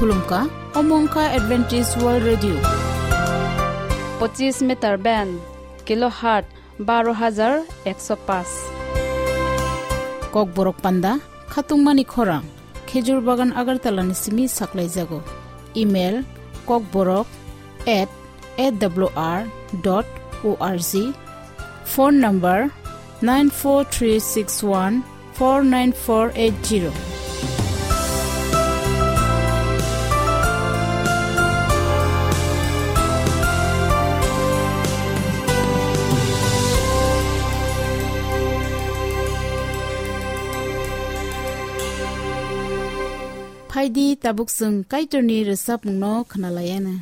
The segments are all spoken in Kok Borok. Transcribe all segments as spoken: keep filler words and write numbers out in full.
Khulumkha, omo wngkha Adventist World Radio. Pochis meter band, kilohertz baro hajar ekso paanch. Kokborok panda, khatungmani khorang, Khejur Bagan Agartala ni simi saklaijago. Email, kokborok at A W R dot O R G. Phone number, nine four three six one four nine four eight zero. Phaidi, tabuk chwng Kaitorni rwchapmungno khwnalaiana.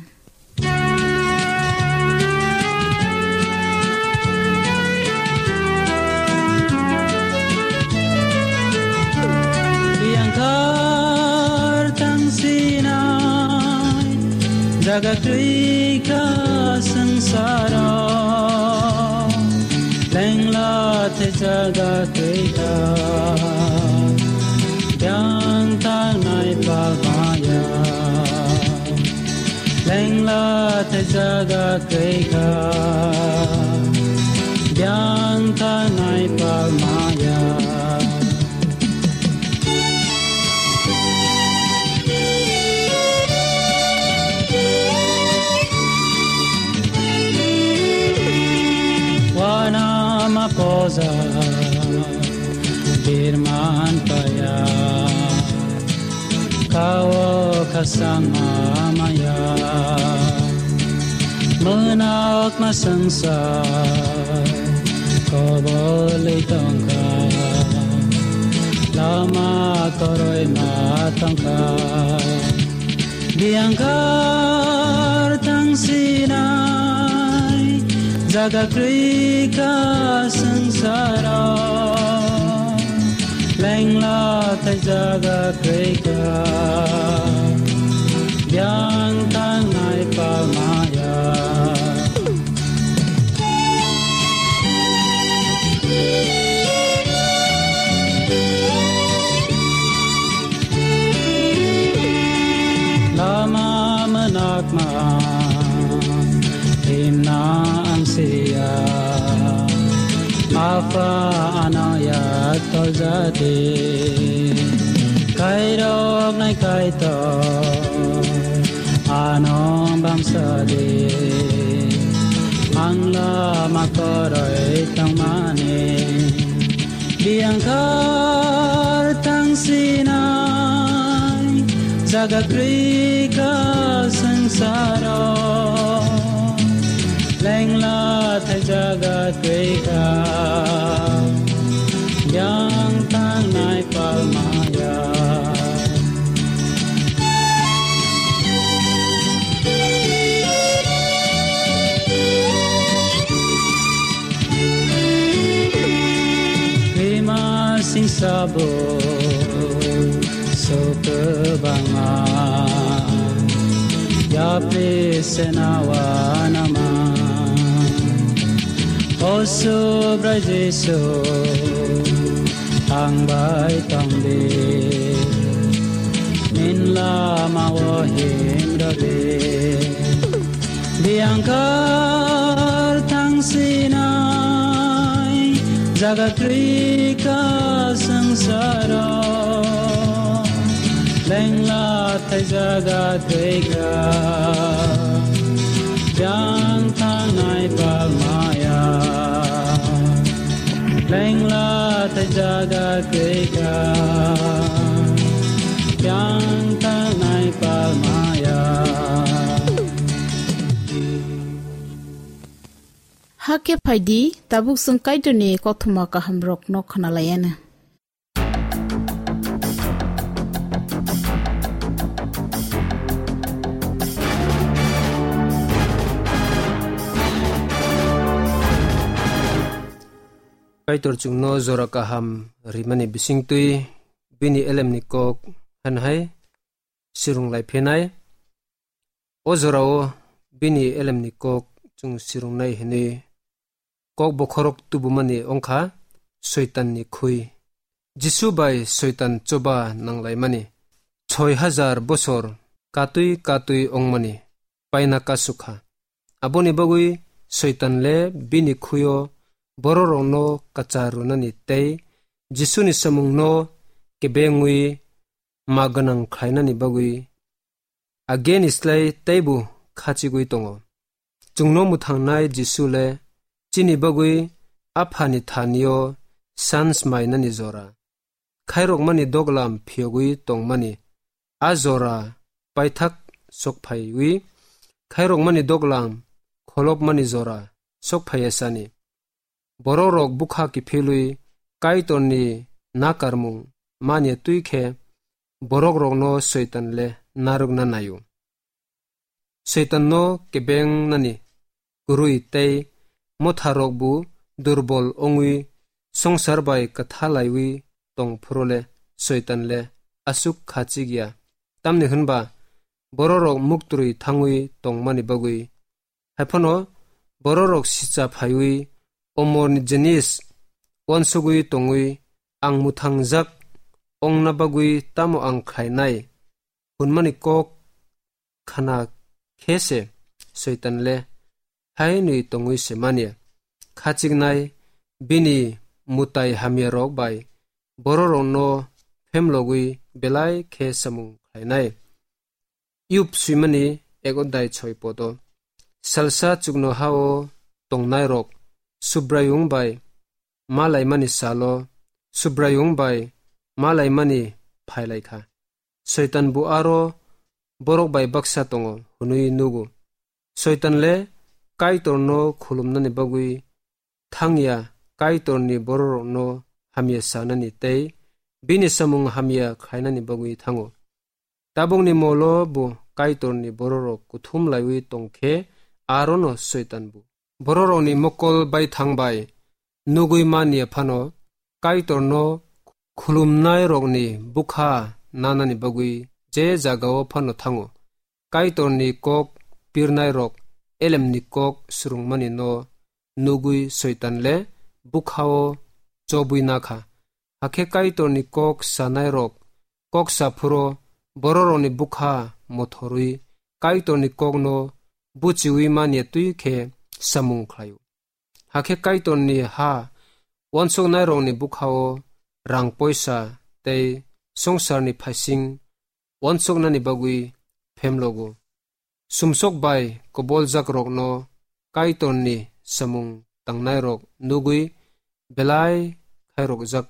Biyangkar tangsinai jaga twi ka sangsaro, lengla te jaga twi ka, byang tangnai palmaya. Lengla te jaga twi ka, byang tangnai palmaya. Wana ma poza birman paya. Kao khasang amaya, mwnok ma swngsa, kobolwi tongkha, lama koroi ma tongkha. Biyangkar tangsinai jaga kwrwi ka swngsaro. Lengla tai jaga kwrwi ka, byang tangnai palmaya. Lama mwnokma himna ang siya, Apha ano yak toljadi, kairok nai Kaitor ano bamsadi, ang lama koroi tongmani. Biyangkar tangsinai jaga kwrwi ka swngsaro, lengla tai jaga kwrwi ka, byang tangnai palmaya. Bima sing sabo so kwbangma, yapri senawa nama. O Subrai Jisu, ang bai tongdi, nini lama o himrwdi. Biyangkar tangsinai jaga kwrwi ka swngsaro, lengla tai jaga kwrwi ka, byang tangnai palmaya. Lengla tai jaga kwrwi ka, byang tangnai palmaya. Hakhe phaidi, tabuk chwng Kaitorni kothoma kahamrokno khwnalaiana. Kaitor chwngno jora kaham rimani bisingtwi bini elemni kok han hai sirung lai phinai. O jorao bini elemni kok chwng sirungnai hwnwi kok bokhorok tubumani wngkha Soitanni khui. Jisu bai Soitan choba nanglaimani soi hajar bosor katwi katwi wngmani paina kasukha. Aboni bagwi Soitan le bini khuyo bororokno kwchar rwnani tei Jisuni samungno kebengwi ma gwnang khlainani bagwi ageni slai teibo khachigwi tongo. Chwngno mwthangnai Jisu le chini bagwi Aphani thanio sans mainani jora, khairokmani doglam phiyogwi tongmani a jora paithak sokphaiwi, khairokmani doglam kholopmani jora sokphaiya sani. Bororok bwkha kiphilwi Kaitorni nakarmung manya twi khe borokrokno Soitan le narwkna naio. Soitanno kebengnani kwrwi tei motharokbo durbol wngwi songsar bai kwthalaiwi tong phuru le Soitan le aswk khachik ya. Tamni hwnba bororok muktrwi thangwi tongmani bagwi. Haiphano bororok sicha phaiwi omorni jinis uansugwi tongwi ang mwthangjak ongna bagwi tamo ang khlainai hwnmani kok khna khe se Soitan le hai hwnwi tongwi se manya. Khachiknai bini mwtai hamyarok bai bororokno phemlogwi belai khe samung khlainai. Yub swimani ego dai choi poto. Salsa chukno hao tongnairok Subraiyung bai malaimani salo Subraiyung bai malaimani phailaikha. Soitan bo aro borok bai baksa tongo hwnwi nugo. Soitan le Kaitorno khulumnani bagwi thangya, Kaitorni bororokno hamya sanani tei bini samung hamya khlainani bagwi thango. Tabukni molo bo Kaitorni bororok kuthum laiwi tongkhe arono Soitan bo. Bororokni mokol baithang bai nugwi manya phano Kaitorno khulumnairokni bwkha nanani bagwi je jagao phano thango. Kaitorni kok pirnairok elemni kok swrwngmani no nugwi Soitan le bwkhao chobwi nakha. Hakhe Kaitorni kok sanairok kok sa phuro bororokni bwkha mothorwi Kaitorni kokno buchiwi manya twi khe samung khlaio. Hakhe Kaitorni ha uansuknairokni bwkhao rang poisa tei songsarni phaising uansuknani bagwi phemlogo. Sumsok bai koboljakrokno Kaitorni samung tangnairok nugwi belai khairokjak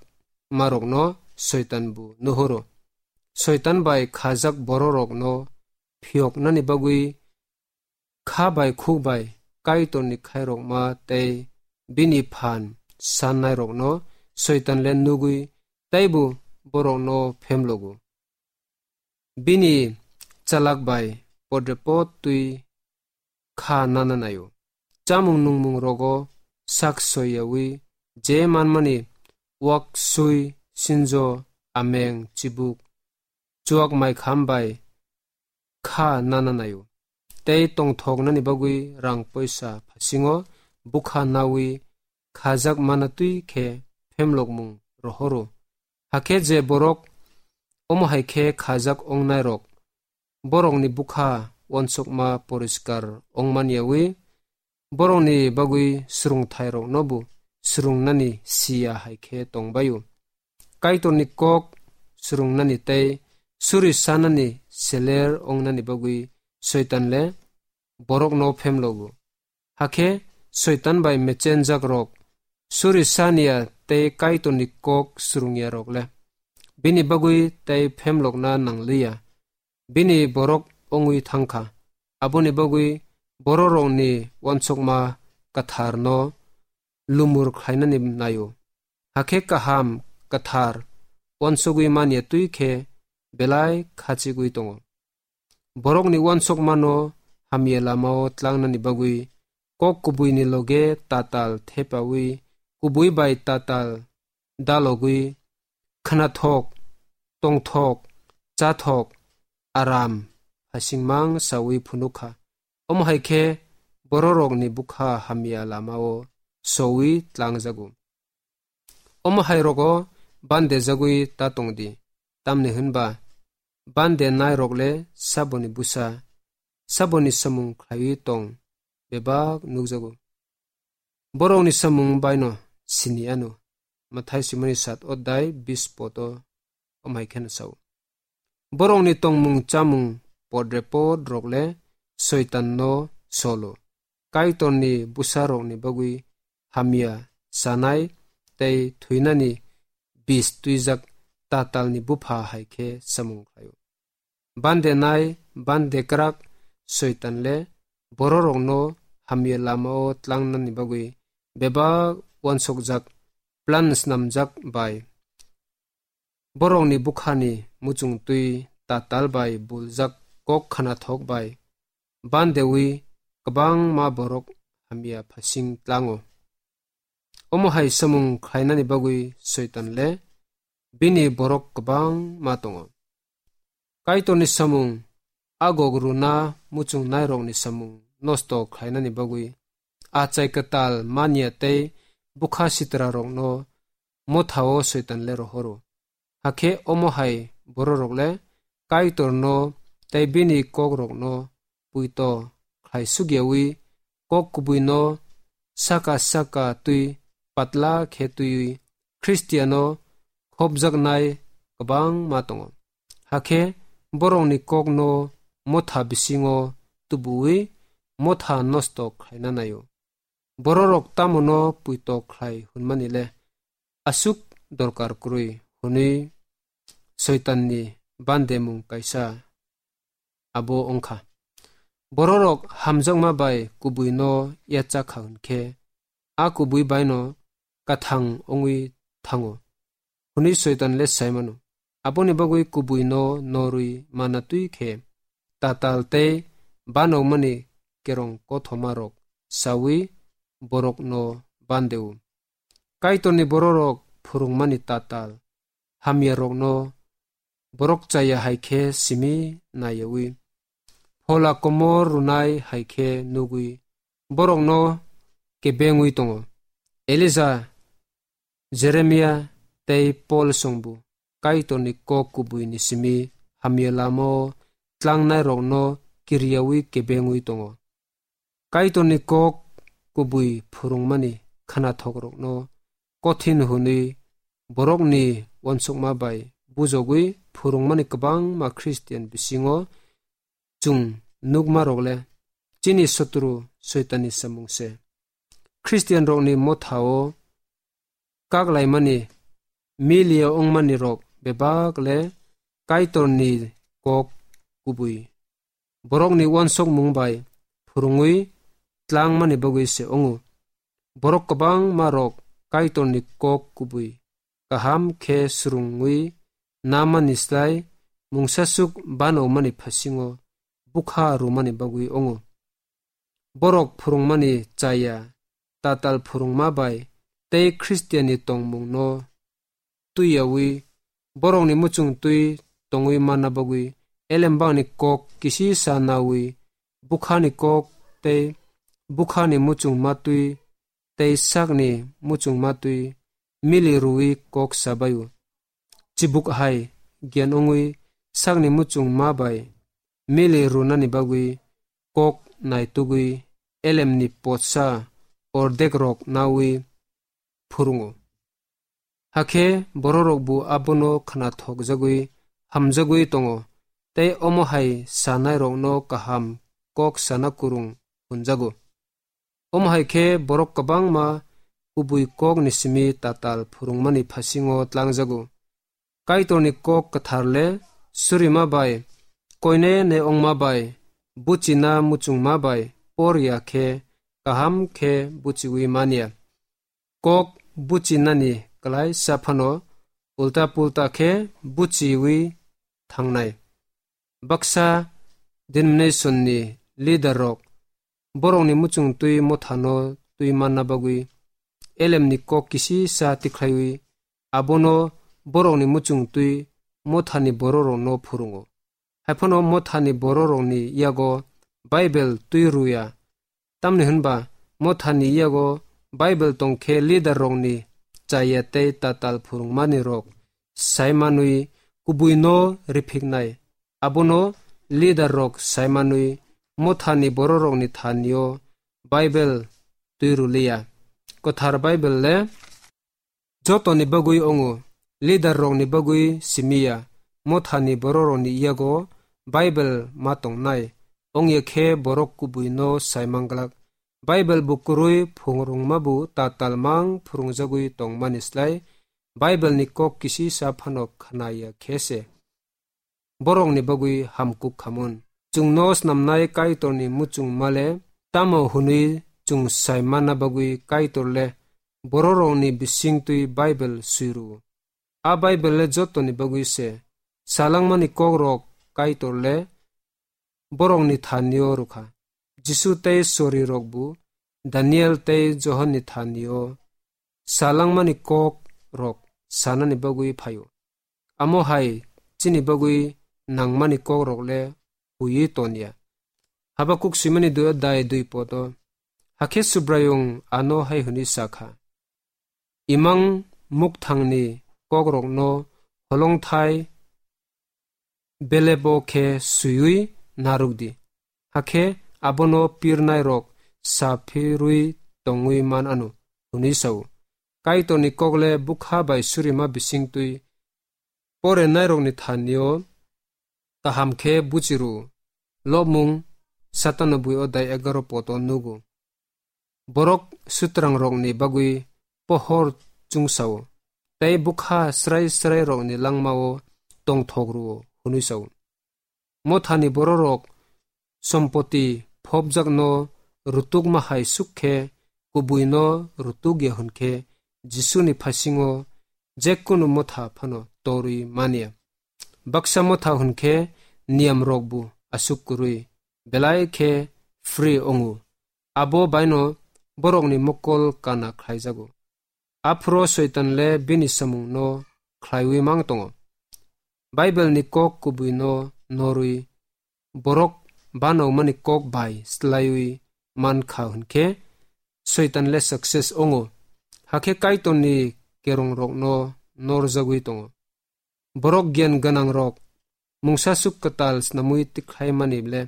marokno Soitan bo nuhoro. Soitan bai khajak bororokno phiyoknani bagwi kha bai khuk bai Kaitorni khairokma tei bini phan sannairokno Soitan le nugwi teibo borokno phemlogo. Bini chalak bai podrepot twi kha nana naio. Chamung nungmung rogo sak soiyawi je manmani wak sui sinjo ameng chibuk chuak mai kham bai kha nana naio. Tei tongthoknani bagwi rang poisa phasingo bwkha nawi khajak mana twi khe phemlokmung rohoro. Hakhe je borok omo hai khe khajak ongnairok, borokni bwkha uansukma poriskar ongmaniyawi, borokni bagwi swrwngthairoknobo swrwngnani siya hai khe tongbaio. Kaitorni kok swrwngnani tei suri sanani seler wngnani bagwi Soitan le borokno phemlogo. Hakhe Soitan bai mechenjakrok, suri saniya tei Kaitorni kok swrwngyarok le bini bagwi tei phemlokna nangliya. Bini borok wngwi thangkha. Aboni bagwi bororokni uansukma kwtharno lumur khlainani naio. Hakhe kaham kwthar uansugwi manya twi khe belai khachigwi tongo. Borokni uansukmano hamya lamao tlangnani bagwi kok kubuini loge tatal thepawi, kubui bai tatal dalogwi, khnathok, tongthok, chathok, aram, hasingmang sawi phunukha. Omo hai khe bororokni bwkha hamya lamao sowi tlangjago. Omo hai rogo bandejagwi ta tongdi, tamni hwnba Bande nairok le saboni busa, saboni samung khlaiwi tong bebak nukjago. Borokni samung baino sini ano. Mathai simoni sat odai bis poto omhai kheno sao. Borokni tongmung chamung podre pod rok le soitan no solo. Kaitorni busa rokni bagwi hamya sanai tei thuinani bis twijak tatalni bupha hai khe samung khlaio. Bande nai, bande krak, soitan le bororokno hamya lamao tlangnani bagwi bebak wansokjak plan snamjak bai borokni bukhani muchungtwi tatal bai buljak kok khanathok bai bandewi kwbangma borok hamya phasing tlango. Omo hai samung khlainani bagwi soitan le bini borok kwbangma tongo. Kaitorni samung, Agog runa muchungnairokni samung nosto khlainani bagwi achai kwtal manya tei bwkha sitrarokno mothao soitan le rohoro. Hakhe omo hai bororok le Kaitorno tei bini kokrokno puito khlai sugyawi kok kubuino saka saka twi patla khe twiwi Khristiano khopjaknai kwbangma tongo. Hakhe borokni kokno motha bisingo tubuwi motha nosto khlaina naio. Bororok tamono puito khlai hwnmani le aswk dorkar kwrwi hwnwi soitanni bandemung kaisa abo wngkha. Bororok hamjakma bai kubuino yachakha hwnkhe, a kubui baino kathang wngwi thango hwnwi soitan le sai mano. Aboni bagwi kubuino norwi mana twi khe tatal tei banokmani kerong kothomarok sawi borokno bandeo. Kaitorni bororok phwrwngmani tatal hamyarokno borok chaya hai khe simi nayawi, phola komor rwnai hai khe nugwi borokno kebengwi tongo. Elija, Jeremia tei Pol songbo Kaitorni kok kubuini simi hamya lamao tlangnairokno kiriyawi kebengwi tongo. Kaitorni kok kubui phwrwngmani khanathokrokno kothin hwnwi borokni uansukma bai bujogwi phwrwngmani kwbangma Khristian bisingo chwng nukmarok le chini sotru Soitanni samung se. Khristianrokni mothao kaklaimani miliya wngmani rok bebak le Kaitorni kok kubui borokni uansukmung bai phwrwngwi tlangmani bagwi se wngo. Borok kwbangma rok Kaitorni kok kubui kaham khe swrwngwi namani slai mungsasuk banokmani phasingo bwkha rwmani bagwi wngo. Borok phwrwngmani chaya, tatal phwrwngma bai tei Khristianni tongmungno twiyawi borokni muchung twi tongwi manna bagwi elembangni kok kisi sa nawi bwkhani kok tei bwkhani muchungma twi tei sakni muchungma twi mili rwwi kok sabaio. Chibuk hai gyan wngwi sakni muchungma bai mili rwnani bagwi kok naitugwi elemni potsa ordekrok nawi phwrwngo. Hakhe bororokbo abono khnathokjagwi hamjagwi tongo, tei omo hai sanairokno kaham kok sana kwrwng hwnjago. Omo hai khe borok kwbangma kubui kokni simi tatal phwrwngmani phasingo tlangjago. Kaitorni kok kwthar le surima bai, koine ne ongma bai, buchina muchungma bai por ya khe kaham khe buchiwi manya. Kok buchinani kwlaisa phano ulta pulta khe buchiwi thangnai. Baksa denomination ni leader rok borokni muchung twi mothano twi manna bagwi elemni kok kisi sa tikhlaiwi abono borokni muchung twi mothani bororokno phwrwngo. Haiphano mothani bororokni yago Bible twi rwya, tamni hwnba mothani yago Bible tongkhe leader rokni chaya tei tatal phwrwngmani rok sai manwi kubuino riphiknai. Abono leader rok saimanwi Mothani bororokni thanio Bible twi rwliya. Kwthar Bible le jotoni bagwi ongo, leader rokni bagwi simiya. Mothani bororokni yago Bible ma tongnai, ongya khe borok kubuino saimanglak. Bible bo kwrwi phungrwngmabu tatal mang phwrwngjagwi tongmani slai Bible ni kok kisisa phano khnaya khe se borokni bagwi hamkuk khamun. Chwngno snamnai Kaitorni muchung male tamo hwnwi chwng sai manna bagwi Kaitor le bororokni bisingtwi Bible swi rwo. A Bible le jotoni bagwi se. Salangmani kokrok Kaitor le borokni thanio rwkha. Jisu tei sorirokbo Daniel tei Johonni thanio salangmani kokrok sanani bagwi phaio. Amo hai chini bagwi nangmani kokrok le huiwi tonya. Habakuk swimani dui adai dui podo. Hakhe Subraiyung ano hai hwnwi sa kha, Imang mukthangni kokrokno holongthai belebo khe swiwi narwkdi, hakhe abono pirnairok saphirwi tongwi man anw, hwnwi sa-o. Kaitorni kokle bwkha bai surima bisingtwi porenairokni thanio kaham khe buchi rw-o. Lobmung satano bui odai egaroh poto nugo. Borok sutrangrokni bagwi pohor chungsao, tei bwkha srai srairokni langmao tongthok rwo hwnwi sao. Mothani bororok sompoti phobjakno rutukma hai suk khe kubuino rutukya hwn khe Jisuni phasingo jekunu motha phano torwi manya. Baksa motha hwn khe niyamrokbo aswk kwrwi, belai khe free wngo. Abo baino borokni mokol kana khlaijago. Aphuru Soitan le bini samungno khlaiwi mang tongo. Bible ni kok kubui no norwi borok banokmani kok bai slaiwi man kha hwn khe Soitan le success wngo. Hakhe Kaitor ni kerong rok no norjagwi tongo. Borok giyan gwnang rok mungsa suk kwtal snamwi tikhlai mani le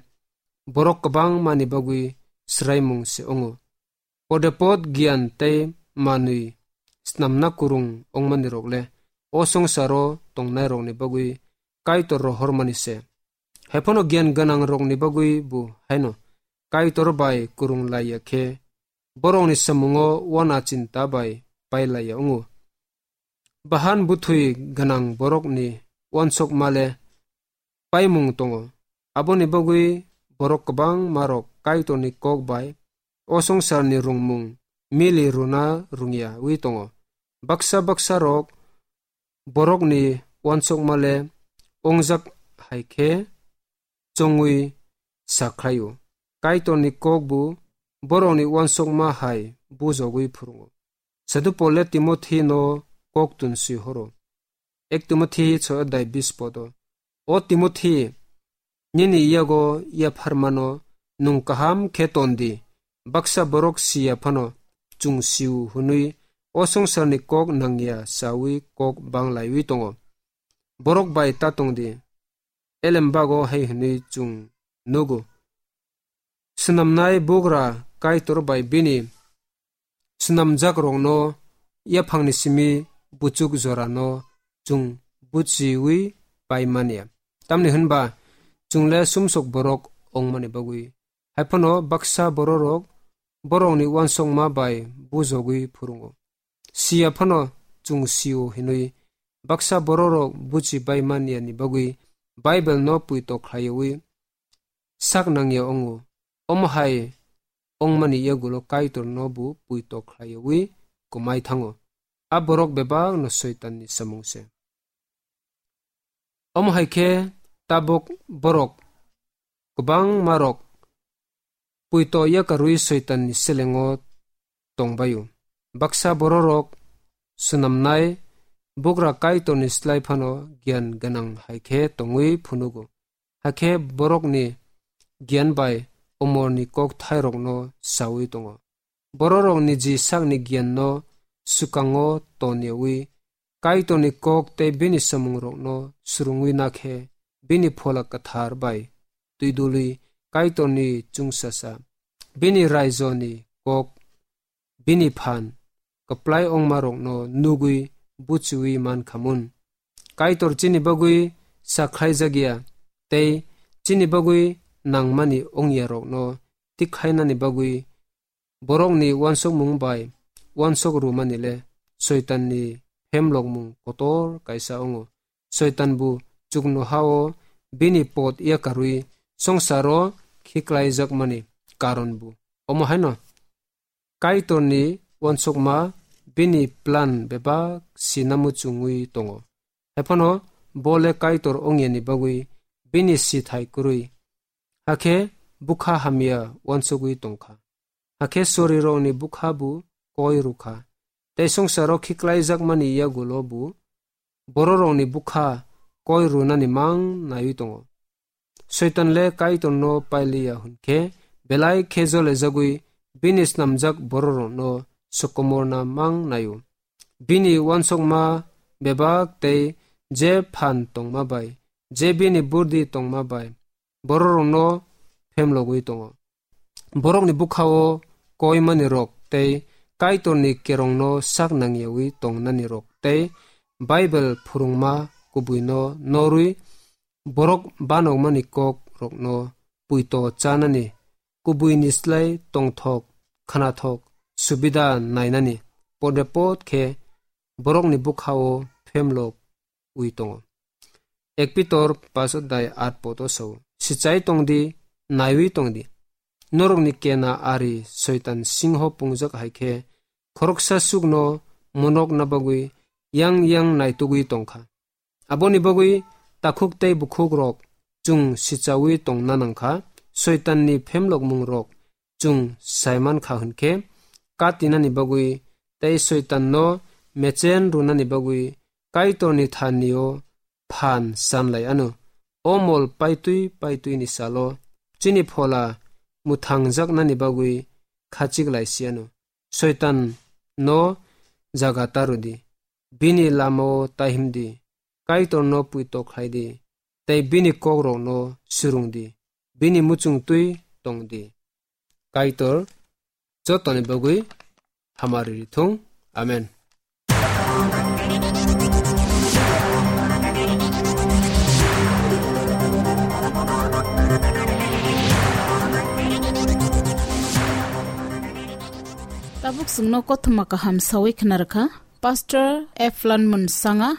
borok kwbangma ni bagwi swraimung se wngo. Podepot giyan tei manwi snamna kwrwng wngmani rok le o swngcharo tongnai rokni bagwi Kaitor rohormani se. Haiphano giyan gwnang rokni bagwi bo haino Kaitor bai kwrwng laiya khe borokni samungo wana chinta bai pailaiya wngo. Bahan bwthwi gwnang borokni uansukma le paimung tongo. Aboni bagwi borok kwbangma rok Kaitorni kok bai o swngcharni rwngmung mili rwna rwngyawi tongo. Baksa baksa rok borokni uansukma le wngjak hai khe chongwi sakhlaio. Kaitorni kokbo borokni uansukma hai bujogwi phwrwngo. Sadhu Pol le Timothi no kok tun swi horo. Ek Timothi choi adai bis podo. O Timothi, nini yago yapharmano nwng kaham khe ton di. Baksa borok siya phano chwng siu hwnwi o swngcharni kok nangya chawi kok banglaiwi tongo. Borok bai ta tong di. Elembago hai hwnwi chwng nugo. Swnamnai bugra Kaitor bai bini swnamjakrokno yaphangni simi buchuk jorano chwng buchiwi pai manya. Tamni hwnba chwng le sumsok borok wngmani bagwi. Haiphano baksa bororok borokni uansukma bai bujogwi phwrwngo. Siya phano chwng sio hinwi baksa bororok buchi bai manyani bagwi Bible no puito khlaiwi sak nangya wngo. Omo hai wngmani yagulo Kaitor no bo puito khlaiwi kwmai thango. A borok bebak no Soitan ni samung se. Omo hai khe tabuk borok kwbangma rok puito yakarwi Soitan ni selengo tongbaio. Baksa bororok swnamnai bugra Kaitor ni slai phano giyan gwnang hai khe tongwi phunugo. Hakhe borokni giyan bai umorni kok thairokno saui tongo. Bororok niji sakni giyanno swkango toniyawi Kaitorni kok tei bini samungrokno swrwngwi na khe bini Phola Kwthar bai twidulwi Kaitorni chwngsasa, bini raijoni kok, bini phan kwplai ongmarokno nugwi buchiwi mankhamun. Kaitor chini bagwi sakhlaijakya tei chini bagwi nangmani ongyarokno tikhainani bagwi borokni uansukmung bai uansuk rwmani le Soitanni phemlokmung kotor kaisa wngo. Soitan bo chuknoha hao bini pot yakarwi songsaro khiklaijakmani karon bo omo haino Kaitorni uansukma bini plan bebak sina muchungwi tongo. Haiphano bo le Kaitor ongyani bagwi bini sithai kwrwi, hakhe bwkha hamya uansugwi tongkha. Hakhe sorirokni bwkha bo koi rwkha. Tei songsaro khiklaijakmani yagulo bo bororokni bwkha koi rwnani mang naiwi tongo. Soitan le Kaitorno pailiya hwnkhe belai khe jolejagwi bini snamjak bororokno sokomorna mang naio. Bini uansukma bebak tei je phan tongma bai, je bini burdi tongma bai, bororokno phemlogwi tongo. Borokni bwkhao koimani rok tei Kaitorni kerongno sak nangyawi tongnani rok tei Bible phwrwngma kubuino norwi borok banokmani kok rokno puito chanani, kubuini slai tongthok, khnathok, subida nainani, podepot khe borokni bwkhao phemlok wi tongo. Ek Pitor paso dai at poto sao, sichai tongdi, naiwi tongdi. Norokni kena ari Soitan singho pungjak hai khe, khoroksa sukno monokna bagwi yang yang naitugwi tongkha. Aboni bagwi takhuk tei bukhuk rok chwng sichawi tongna nangkha, Soitanni phemlokmung rok chwng saiman kha hwnkhe, katinani bagwi tei Soitanno mechen rwnani bagwi Kaitorni thanio phan sanlai ano. O mol paitwi paitwini salo chini phola muthangjaknani bagwi khachiklai si ano. Soitan no jaga ta rwdi, bini lamao ta himdi, Kaitorno puito khlaidi, tei bini kokrokno surungdi, bini muchungtwi tongdi. Kaitor jotoni bagwi hamari rithung. Amen. Tabuk chwngno kothoma kaham sawi khna rwkha Pastor Eflan Munsanga.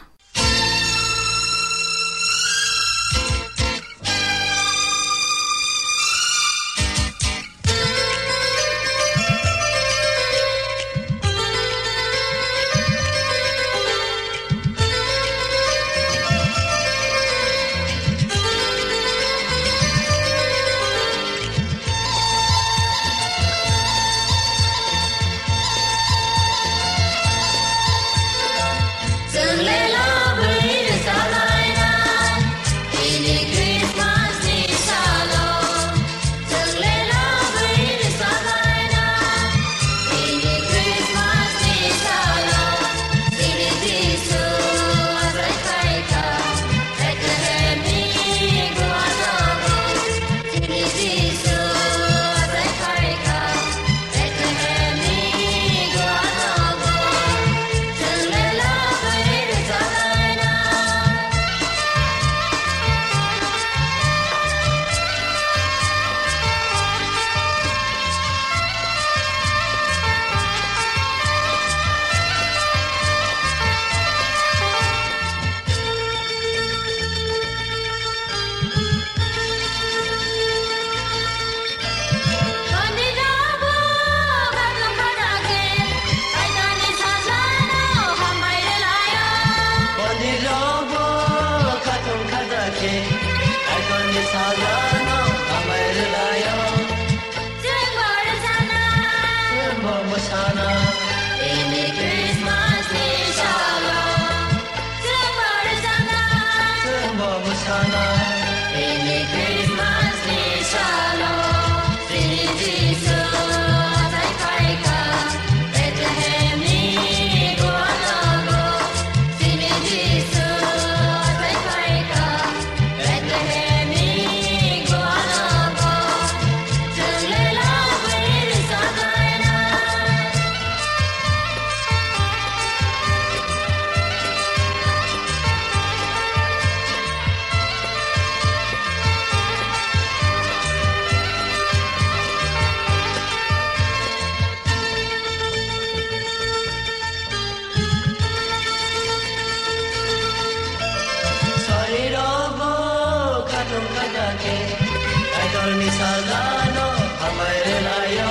Sajano hambai rwlaio.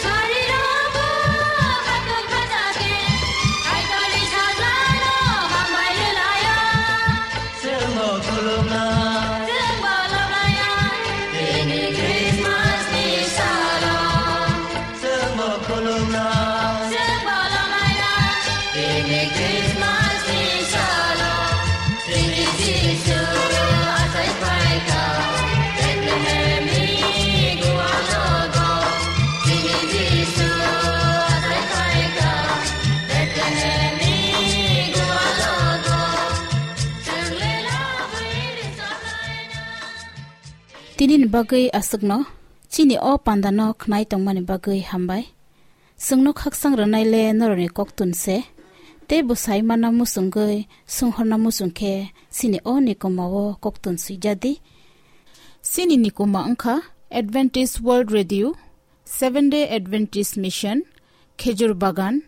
Sarirokbo khatung khajago. Kaitorni sajano hambai rwlaio. Chwngbo khulumna. Chwngbo loblaio. Tini Christmasni salo. Chwngbo khulumna. Chwngbo loblaio. Tini Christmasni salo. Tini Jisu achai phaikha. Bethlehemni gualogo. Tini Jisu achai phaikha. Bethlehemni gualogo. Chwng le lobwi ri soklaina. Tinini bagwi aswkno, chini o pandano khnai tongmani bagwi hambai. Chwngno khaksang rwnai le norokni koktun se, tei bwsai mana muchungwi sunghorna muchung khe chini o nikoma o koktun swijadi. Chini nikoma wngkha Adventist World Radio, Seventh Day Adventist Mission, Khejur Bagan,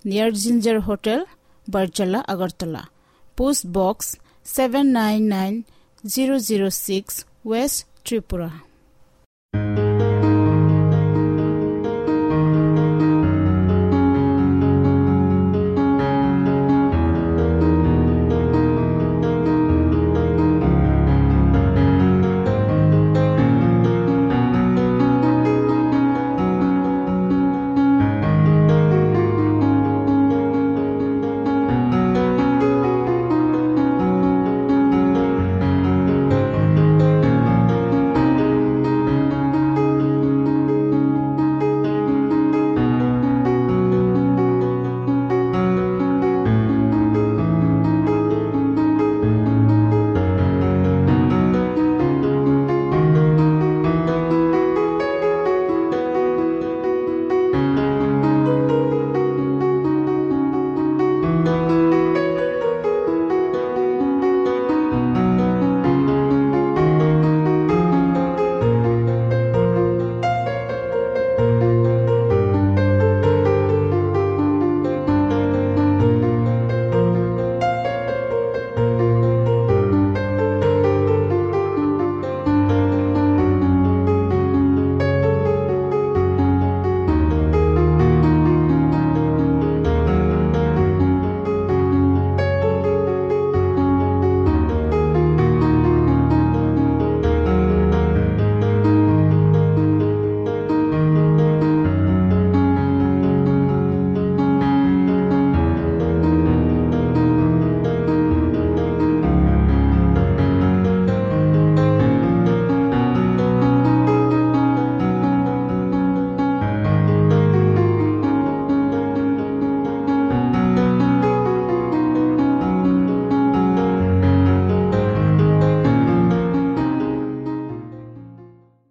near Ginger Hotel, Barjala, Agartala. Post Box seven nine nine zero zero six, West Tripura.